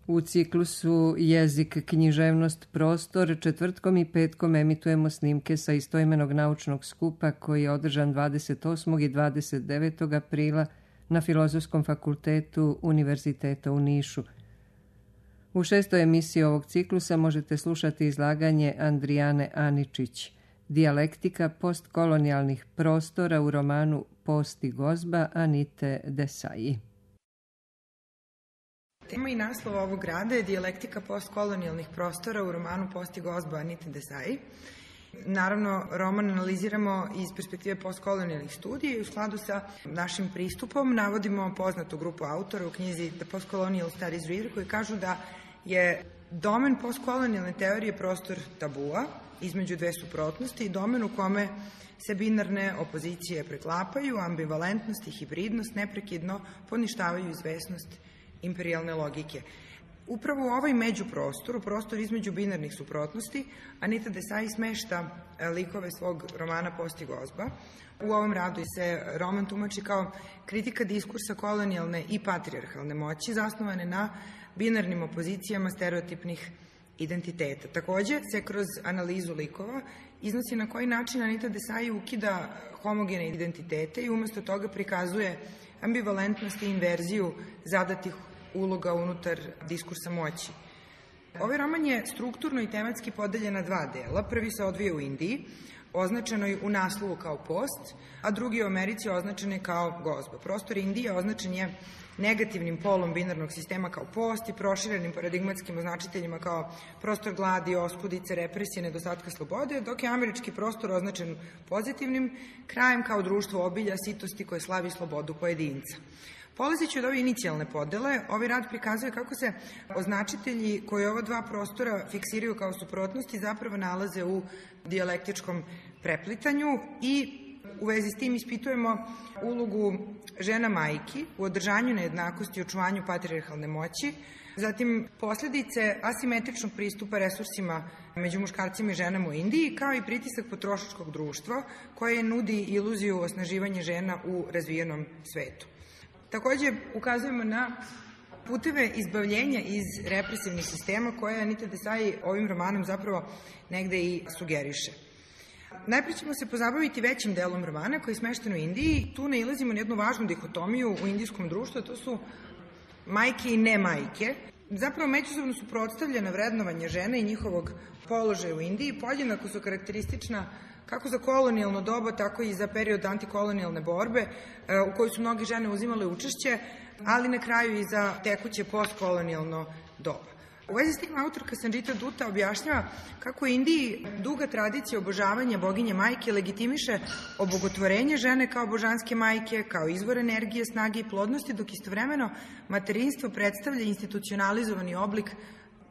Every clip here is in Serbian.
U ciklusu Jezik, književnost, prostor četvrtkom i petkom emitujemo snimke sa istoimenog naučnog skupa koji je održan 28. i 29. aprila na Filozofskom fakultetu Univerziteta u Nišu. U 6. emisiji ovog ciklusa možete slušati izlaganje Andrijane Aničić, Dijalektika postkolonijalnih prostora u romanu Post i gozba Anite Desailly. Tema i naslov ovog rada je Dijalektika postkolonijalnih prostora u romanu Post i gozba Anite Desailly. Naravno, roman analiziramo iz perspektive postkolonijalnih studija i u skladu sa našim pristupom navodimo poznatu grupu autora u knjizi The Postcolonial Studies Reader koji kažu da je domen postkolonijalne teorije prostor tabua između dve suprotnosti i domen u kome se binarne opozicije preklapaju, ambivalentnost i hibridnost neprekidno poništavaju izvesnost imperijalne logike. Upravo u ovaj međuprostor, u prostor između binarnih suprotnosti, Anita Desailly smešta likove svog romana Post i gozba. U ovom radu se roman tumači kao kritika diskursa kolonijalne i patrijarhalne moći zasnovane na binarnim opozicijama stereotipnih identiteta. Takođe se kroz analizu likova iznosi na koji način Anita Desailly ukida homogene identitete i umesto toga prikazuje ambivalentnost i inverziju zadatih uloga unutar diskursa moći. Ovaj roman je strukturno i tematski podeljen na dva dela. Prvi se odvija u Indiji, označenoj u naslovu kao post, a drugi u Americi označen je kao gozba. Prostor Indije označen je negativnim polom binarnog sistema kao post i proširenim paradigmatskim označiteljima kao prostor gladi, oskudice, represije, nedostatka slobode, dok je američki prostor označen pozitivnim krajem kao društvo obilja, sitosti koje slavi slobodu pojedinca. Polazeći od ove inicijalne podele, ovaj rad prikazuje kako se označitelji koji ova dva prostora fiksiraju kao suprotnosti zapravo nalaze u dijalektičkom preplitanju i u vezi s tim ispitujemo ulogu žena majki u održanju nejednakosti i očuvanju patrijarhalne moći, zatim posledice asimetričnog pristupa resursima među muškarcima i ženama u Indiji, kao i pritisak potrošačkog društva koje nudi iluziju osnaživanja žena u razvijenom svetu. Takođe, ukazujemo na puteve izbavljenja iz represivnih sistema koje Anita Desailly ovim romanom zapravo negde i sugeriše. Najpre ćemo se pozabaviti većim delom romana koji je smešten u Indiji. Tu nailazimo na jednu važnu dihotomiju u indijskom društvu, a to su majke i ne majke. Zapravo međusobno su suprotstavljena vrednovanja žene i njihovog položaja u Indiji. Podjednako su karakteristična kako za kolonijalno doba, tako i za period antikolonijalne borbe u kojoj su mnoge žene uzimale učešće, ali na kraju i za tekuće postkolonijalno doba. U vezi s tim autorka Sanjita Dutta objašnjava kako u Indiji duga tradicija obožavanja boginje majke legitimiše obogotvorenje žene kao božanske majke, kao izvor energije, snage i plodnosti, dok istovremeno materinstvo predstavlja institucionalizovani oblik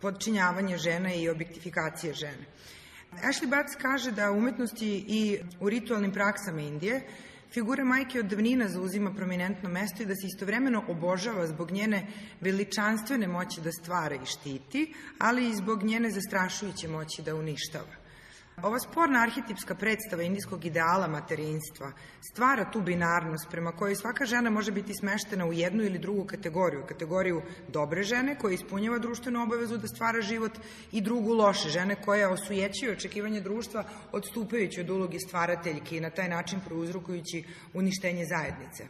podčinjavanja žena i objektifikacije žene. Ashley Batts kaže da u umetnosti i u ritualnim praksama Indije figura majke od davnina zauzima prominentno mesto i da se istovremeno obožava zbog njene veličanstvene moći da stvara i štiti, ali i zbog njene zastrašujuće moći da uništava. Ova sporna arhetipska predstava indijskog ideala materinstva stvara tu binarnost prema kojoj svaka žena može biti smeštena u jednu ili drugu kategoriju dobre žene koja ispunjava društvenu obavezu da stvara život i drugu loše žene koja osujećuje očekivanje društva odstupajući od uloge stvarateljke i na taj način prouzrokujući uništenje zajednice.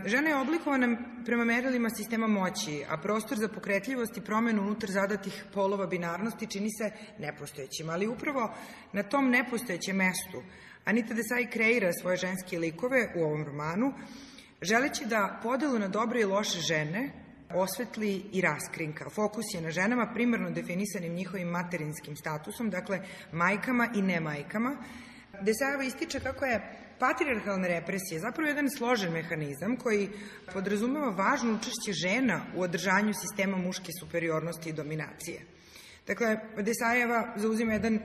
Žena je oblikovana prema merilima sistema moći, a prostor za pokretljivost i promenu unutar zadatih polova binarnosti čini se nepostojećim, ali upravo na tom nepostojećem mestu Anita Desailly kreira svoje ženske likove u ovom romanu, želeći da podelu na dobre i loše žene osvetli i raskrinka. Fokus je na ženama primarno definisanim njihovim materinskim statusom, dakle majkama i ne majkama. Desailly ističe kako je patrijarhalna represija zapravo jedan složen mehanizam koji podrazumeva važno učešće žena u održanju sistema muške superiornosti i dominacije. Dakle, Desaillyjeva zauzima jedan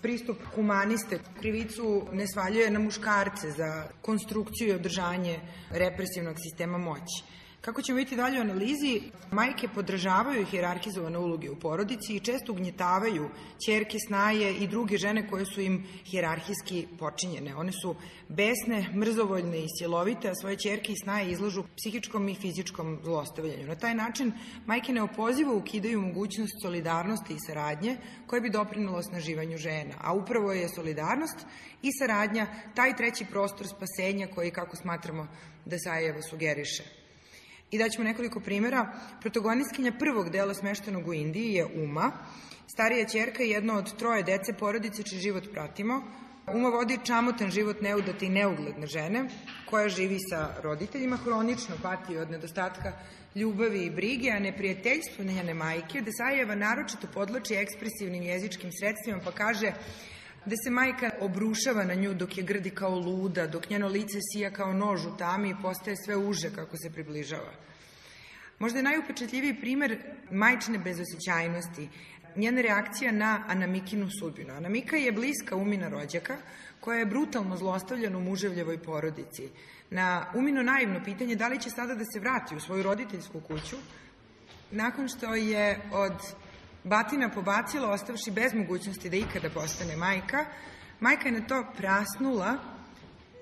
pristup humaniste, krivicu ne svaljuje na muškarce za konstrukciju i održanje represivnog sistema moći. Kako ćemo vidjeti dalje u analizi, majke podržavaju hijerarhizovane uloge u porodici i često ugnjetavaju ćerke, snaje i druge žene koje su im hijerarhijski počinjene. One su besne, mrzovoljne i silovite, a svoje ćerke i snaje izlažu psihičkom i fizičkom zlostavljanju. Na taj način majke neopozivo ukidaju mogućnost solidarnosti i saradnje koje bi doprinelo osnaživanju žena. A upravo je solidarnost i saradnja taj treći prostor spasenja koji, kako smatramo, Desajeva sugeriše. I daćemo nekoliko primjera. Protagonistkinja prvog dela Smeštenog u Indiji je Uma, starija ćerka i jedno od 3 dece porodice čiji život pratimo. Uma vodi čamotan život neudate i neugledne žene koja živi sa roditeljima, hronično pati od nedostatka ljubavi i brige, a neprijateljstvo njene majke Desajeva naročito podlači ekspresivnim jezičkim sredstvima pa kaže da se majka obrušava na nju dok je grdi kao luda, dok njeno lice sija kao nož u tami i postaje sve uže kako se približava. Možda je najupečatljiviji primer majčine bezosećajnosti, njena reakcija na Anamikinu sudbinu. Anamika je bliska Umina rođaka, koja je brutalno zlostavljana u muževljevoj porodici. Na Umino naivno pitanje da li će sada da se vrati u svoju roditeljsku kuću, nakon što je od batina pobacila, ostavši bez mogućnosti da ikada postane majka, majka je na to prasnula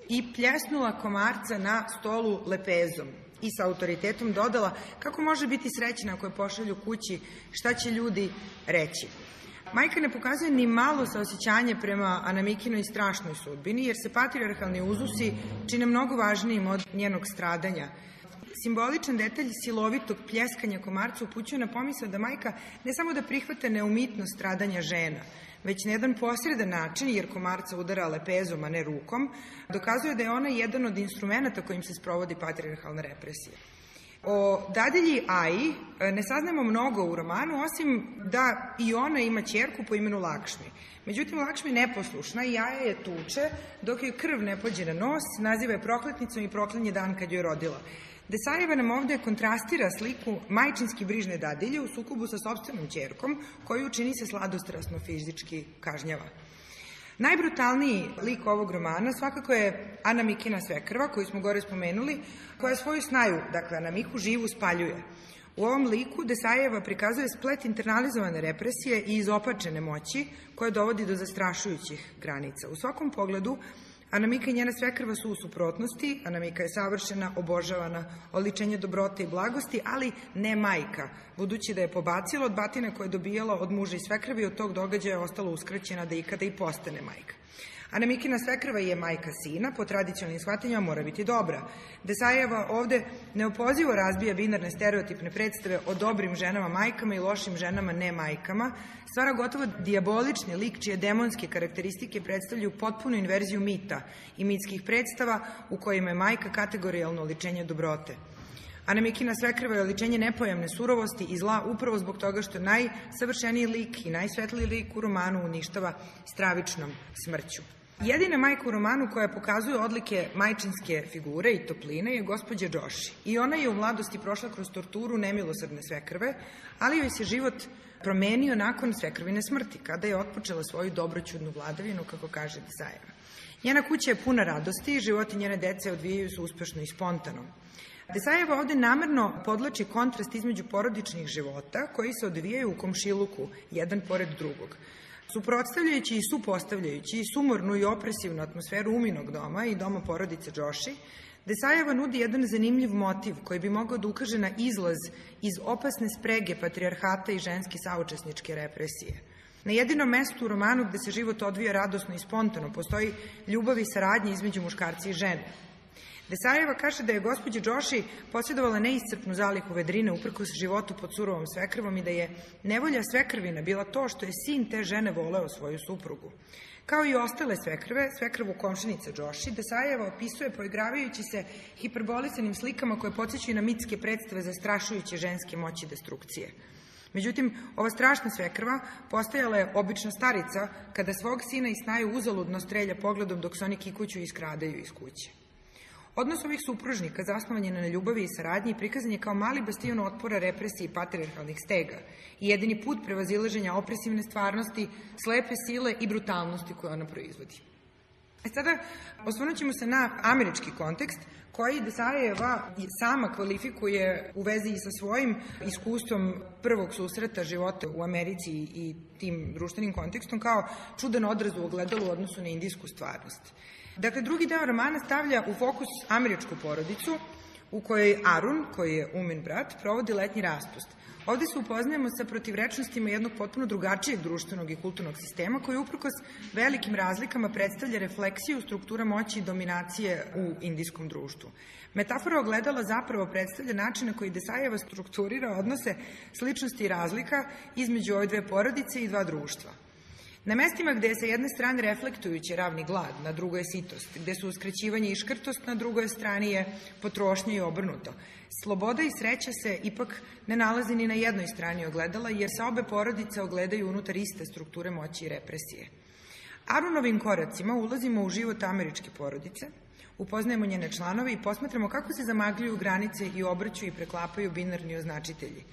i pljesnula komarca na stolu lepezom i sa autoritetom dodala kako može biti srećna ako je pošalju kući, šta će ljudi reći. Majka ne pokazuje ni malo saosećanje prema Anamikinoj strašnoj sudbini, jer se patrijarhalni uzusi čine mnogo važnijim od njenog stradanja. Simboličan detalj silovitog pljeskanja komarca upućuje na pomisao da majka ne samo da prihvata neumitnost stradanja žena, već na jedan posredan način, jer komarca udara lepezom, a ne rukom, dokazuje da je ona jedan od instrumenta kojim se sprovodi patrijarhalna represija. O dadilji Aji ne saznamo mnogo u romanu, osim da i ona ima ćerku po imenu Lakšmi. Međutim, Lakšmi je neposlušna i Aja je tuče, dok joj krv ne pođe na nos, naziva je prokletnicom i proklinje dan kad joj je rodila. Desajeva nam ovde kontrastira sliku majčinski brižne dadilje u sukobu sa sopstvenom ćerkom, koju čini se sladostrasno fizički kažnjava. Najbrutalniji lik ovog romana svakako je Anamikina svekrva, koju smo gore spomenuli, koja svoju snaju, dakle Anamiku, živu spaljuje. U ovom liku Desajeva prikazuje splet internalizovane represije i izopačene moći koja dovodi do zastrašujućih granica. U svakom pogledu Anamika i njena svekrva su u suprotnosti, Anamika je savršena, obožavana, oličenje dobrote i blagosti, ali ne majka, budući da je pobacila od batine koje je dobijala od muža i svekrvi i od tog događaja je ostala uskraćena da ikada i postane majka. Anamikina svekrva je majka sina, po tradicionalnim shvatanjima mora biti dobra. Desajeva ovde neopozivo razbija binarne stereotipne predstave o dobrim ženama majkama i lošim ženama ne majkama, stvara gotovo dijabolični lik čije demonske karakteristike predstavljaju potpunu inverziju mita i mitskih predstava u kojima je majka kategorijalno oličenje dobrote. Anamikina svekrva je oličenje nepojamne surovosti i zla upravo zbog toga što najsavršeniji lik i najsvetliji lik u romanu uništava stravičnom smrću. Jedina majka u romanu koja pokazuje odlike majčinske figure i topline je gospođa Joshi. I ona je u mladosti prošla kroz torturu nemilosrdne svekrve, ali joj se život promenio nakon svekrvine smrti, kada je otpočela svoju dobroćudnu vladavinu, kako kaže Desajeva. Njena kuća je puna radosti i životi njene dece odvijaju se uspešno i spontano. Desajeva ovde namerno podlači kontrast između porodičnih života koji se odvijaju u komšiluku, jedan pored drugog. Suprotstavljajući i supostavljajući i sumornu i opresivnu atmosferu Uminog doma i doma porodice Joshi, Desajeva nudi jedan zanimljiv motiv koji bi mogao da ukaže na izlaz iz opasne sprege patrijarhata i ženske saučesničke represije. Na jedinom mestu u romanu gde se život odvija radosno i spontano postoji ljubav i saradnja između muškarca i žene. Desajeva kaže da je gospođa Joshi posjedovala neiscrpnu zalihu vedrine uprkos životu pod surovom svekrvom i da je nevolja svekrvina bila to što je sin te žene voleo svoju suprugu. Kao i ostale svekrve, svekrvu komšinice Joshi, Desajeva opisuje poigravajući se hiperbolisanim slikama koje podsjećaju na mitske predstave zastrašujuće ženske moći destrukcije. Međutim, ova strašna svekrva postajala je obična starica kada svog sina i snaju uzaludno strelja pogledom dok se oni kikuću i iskradaju iz kuće. Odnos ovih supružnika zasnovan je na ljubavi i saradnji i prikazan je kao mali bastion otpora represiji patrijarhalnih stega i jedini put prevazilaženja opresivne stvarnosti, slepe sile i brutalnosti koje ona proizvodi. Sada osvrnut ćemo se na američki kontekst, koji Desajeva sama kvalifikuje u vezi sa svojim iskustvom prvog susreta života u Americi i tim društvenim kontekstom kao čudan odraz u ogledalu u odnosu na indijsku stvarnost. Dakle, drugi deo romana stavlja u fokus američku porodicu u kojoj Arun, koji je Umin brat, provodi letnji raspust. Ovde se upoznajemo sa protivrečnostima jednog potpuno drugačijeg društvenog i kulturnog sistema koji uprkos velikim razlikama predstavlja refleksiju struktura moći i dominacije u indijskom društvu. Metafora ogledala zapravo predstavlja način na koji Desajeva strukturira odnose sličnosti i razlika između ove dve porodice i dva društva. Na mestima gde je sa jedne strane reflektujući ravni glad, na drugoj je sitost, gde su uskraćivanje i škrtost, na drugoj strani je potrošnja i obrnuto. Sloboda i sreća se ipak ne nalazi ni na jednoj strani ogledala, jer se obe porodice ogledaju unutar iste strukture moći i represije. Arunovim koracima ulazimo u život američke porodice, upoznajemo njene članove i posmatramo kako se zamagljuju granice i obrću i preklapaju binarni označitelji.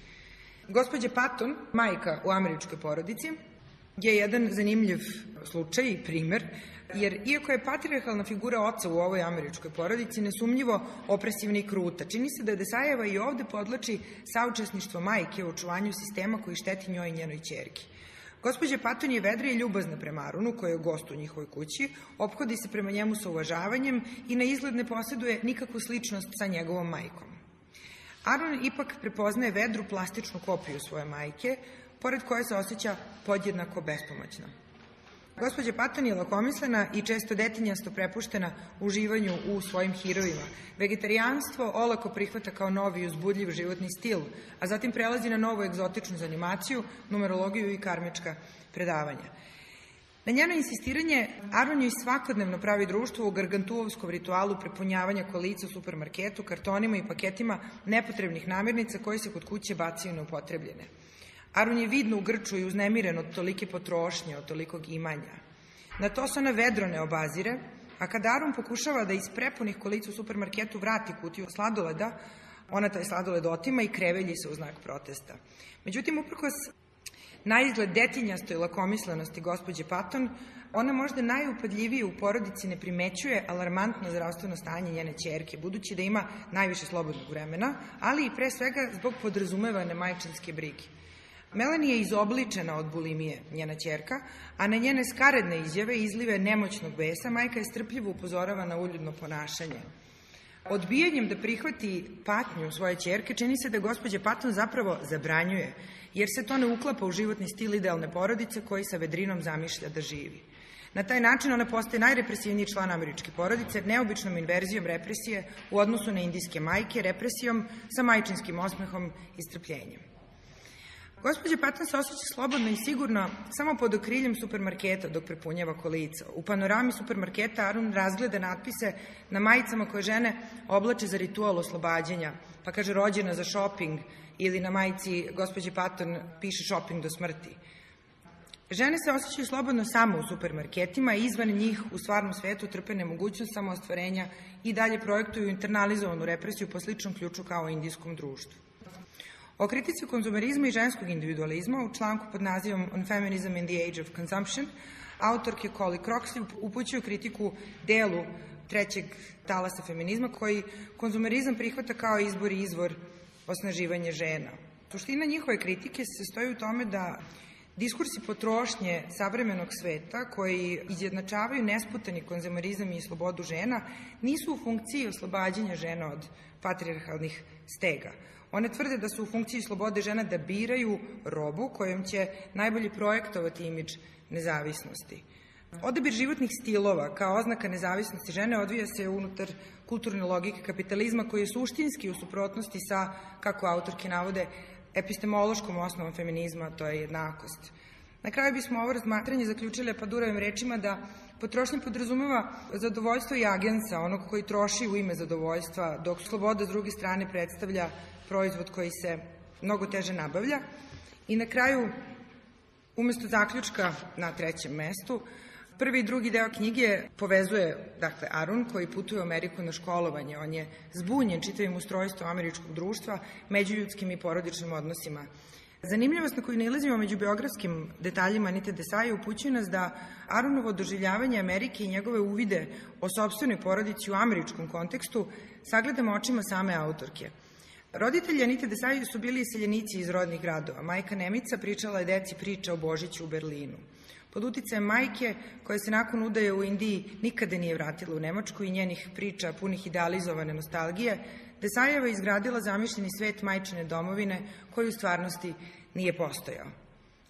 Gospođa Patton, majka u američkoj porodici, je jedan zanimljiv slučaj i primer, jer iako je patrijarhalna figura oca u ovoj američkoj porodici nesumnjivo opresivna i kruta, čini se da Desajeva i ovde podlači saučesništvo majke u očuvanju sistema koji šteti njoj i njenoj ćerki. Gospođa Patton je vedra i ljubazna prema Arunu, koji je gost u njihovoj kući, ophodi se prema njemu sa uvažavanjem i na izgled ne posjeduje nikakvu sličnost sa njegovom majkom. Arun ipak prepoznaje vedru plastičnu kopiju svoje majke, pored koje se osjeća podjednako bespomoćno. Gospođa Patton je lakomislena i često detinjasto prepuštena uživanju u svojim herojima. Vegetarijanstvo olako prihvata kao novi i uzbudljiv životni stil, a zatim prelazi na novu egzotičnu zanimaciju, numerologiju i karmička predavanja. Na njeno insistiranje, Arun joj svakodnevno pravi društvo u gargantuovskom ritualu prepunjavanja kolica u supermarketu, kartonima i paketima nepotrebnih namirnica koji se kod kuće bacaju neupotrebljene. Arun je vidno u grču i uznemiren od tolike potrošnje, od tolikog imanja. Na to se ona vedro ne obazire, a kada Arun pokušava da iz prepunih kolica u supermarketu vrati kutiju sladoleda, ona taj sladoled otima i krevelji se u znak protesta. Međutim, uprkos na izgled detinjastoj lakomislenosti gospođe Patton, ona možda najupadljivije u porodici ne primećuje alarmantno zdravstveno stanje njene ćerke, budući da ima najviše slobodnog vremena, ali i pre svega zbog podrazumevane majčinske brige. Melanie je izobličena od bulimije, njena ćerka, a na njene skaredne izjave i izlive nemoćnog besa majka je strpljivo upozorava na uljudno ponašanje. Odbijanjem da prihvati patnju svoje ćerke čini se da gospođa Patton zapravo zabranjuje, jer se to ne uklapa u životni stil idealne porodice koji sa vedrinom zamišlja da živi. Na taj način ona postaje najrepresivniji član američke porodice, neobičnom inverzijom represije u odnosu na indijske majke, represijom sa majčinskim osmehom i strpljenjem. Gospođa Patton se osjeća slobodno i sigurno samo pod okriljem supermarketa dok prepunjava kolica. U panorami supermarketa Arun razgleda natpise na majicama koje žene oblače za ritual oslobađanja, pa kaže rođena za šoping, ili na majici gospođe Patton piše šoping do smrti. Žene se osjećaju slobodno samo u supermarketima i izvan njih u stvarnom svetu trpe nemogućnost samoostvarenja i dalje projektuju internalizovanu represiju po sličnom ključu kao u indijskom društvu. O kritici konzumerizma i ženskog individualizma u članku pod nazivom On Feminism in the Age of Consumption autorke Holly Croxley upućuju kritiku delu trećeg talasa feminizma koji konzumerizam prihvata kao izbor i izvor osnaživanja žena. Suština njihove kritike se stoji u tome da diskursi potrošnje savremenog sveta koji izjednačavaju nesputani konzumerizam i slobodu žena nisu u funkciji oslobađanja žena od patrijarhalnih stega. One tvrde da su u funkciji slobode žena da biraju robu kojom će najbolje projektovati imidž nezavisnosti. Odabir životnih stilova kao oznaka nezavisnosti žene odvija se unutar kulturne logike kapitalizma koji je suštinski u suprotnosti sa, kako autorke navode, epistemološkom osnovom feminizma, to je jednakost. Na kraju bismo ovo razmatranje zaključili Epadurovim rečima da potrošnja podrazumeva zadovoljstvo i agensa, onog koji troši u ime zadovoljstva, dok sloboda s druge strane predstavlja proizvod koji se mnogo teže nabavlja. I na kraju, umesto zaključka na trećem mestu, prvi i drugi deo knjige povezuje, dakle, Arun koji putuje u Ameriku na školovanje. On je zbunjen čitavim ustrojstvom američkog društva, međuljudskim i porodičnim odnosima Zanimljivost na koju nalazimo među biografskim detaljima Anite Desaje upućuje nas da Arunovo doživljavanje Amerike i njegove uvide o sopstvenoj porodici u američkom kontekstu sagledamo očima same autorke. Roditelji Anite Desaje su bili iseljenici iz rodnih gradova. Majka Nemica pričala je deci priče o Božiću u Berlinu. Pod uticajem majke, koja se nakon udaje u Indiji nikada nije vratila u Nemačku i njenih priča punih idealizovane nostalgije, Desajeva je izgradila zamišljeni svet majčine domovine koji u stvarnosti nije postojao.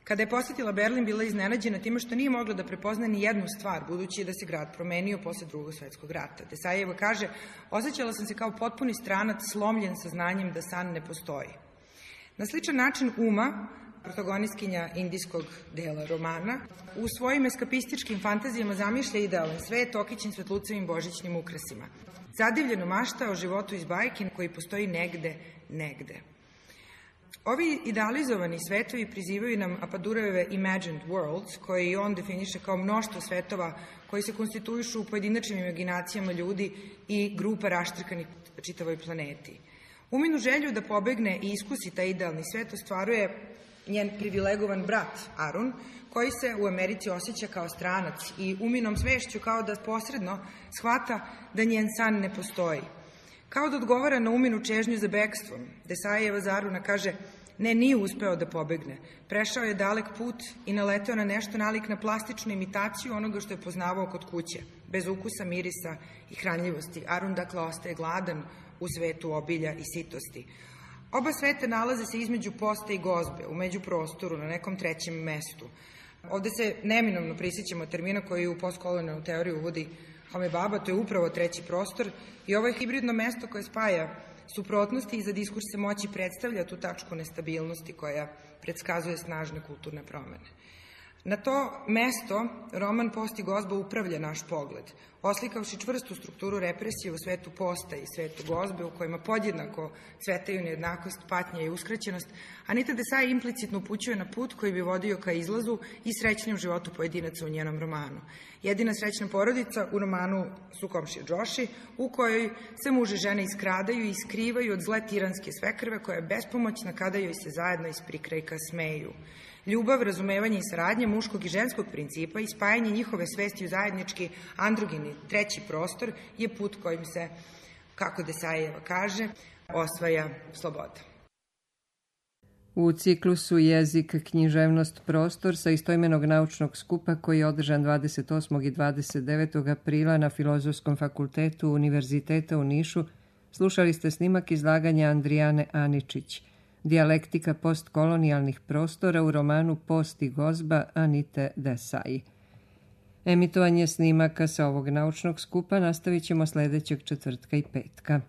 Kada je posetila Berlin, bila je iznenađena time što nije mogla da prepozna ni jednu stvar, budući da se grad promenio posle Drugog svetskog rata. Desajeva kaže, osjećala sam se kao potpuni stranac slomljen sa znanjem da san ne postoji. Na sličan način Uma, protagonistkinja indijskog dela romana, u svojim eskapističkim fantazijama zamišlja idealan svet okićen svetlucevim božićnim ukrasima. Zadivljeno mašta o životu iz bajke koji postoji negde. Ovi idealizovani svetovi prizivaju nam Apadurajeve imagined worlds, koje i on definiše kao mnoštvo svetova koji se konstituišu u pojedinačnim imaginacijama ljudi i grupa raštrkanih čitavoj planeti. Uminu želju da pobegne i iskusi taj idealni svet ostvaruje njen privilegovan brat Arun, koji se u Americi osjeća kao stranac i uminom svešću kao da posredno shvata da njen san ne postoji. Kao da odgovara na uminu čežnju za bekstvom, Desajeva za Aruna kaže, ne, nije uspeo da pobegne. Prešao je dalek put i naleteo na nešto nalik na plastičnu imitaciju onoga što je poznavao kod kuće, bez ukusa, mirisa i hranljivosti. Arun, dakle, ostaje gladan u svetu obilja i sitosti. Oba sveta nalaze se između posta i gozbe, u međuprostoru, na nekom trećem mestu. Ovde se neminovno prisjećamo termina koji u postkolonijalnu teoriju uvodi Home Baba, to je upravo treći prostor i ovo je hibridno mesto koje spaja suprotnosti i za diskurse moći predstavlja tu tačku nestabilnosti koja predskazuje snažne kulturne promene. Na to mesto roman Post i gozba upravlja naš pogled, oslikavši čvrstu strukturu represije u svetu posta i svetu gozbe, u kojima podjednako cvetaju nejednakost, patnja i uskraćenost. Anita Desai implicitno upućuje na put koji bi vodio ka izlazu i srećnim životu pojedinaca u njenom romanu. Jedina srećna porodica u romanu su komšije Džoši, u kojoj se muž i žena iskradaju i skrivaju od zle tiranske svekrve koja je bespomoćna kada joj se zajedno iz prikrajka smeju. Ljubav, razumevanje i saradnja muškog i ženskog principa i spajanje njihove svesti u zajednički androgeni treći prostor je put kojim se, kako Desajeva kaže, osvaja sloboda. U ciklusu Jezik, književnost, prostor sa istoimenog naučnog skupa koji je održan 28. i 29. aprila na Filozofskom fakultetu Univerziteta u Nišu, slušali ste snimak izlaganja Andrijane Aničić, Dijalektika postkolonijalnih prostora u romanu Post i gozba Anite Desai. Emitovanje snimaka sa ovog naučnog skupa nastavit ćemo sledećeg četvrtka i petka.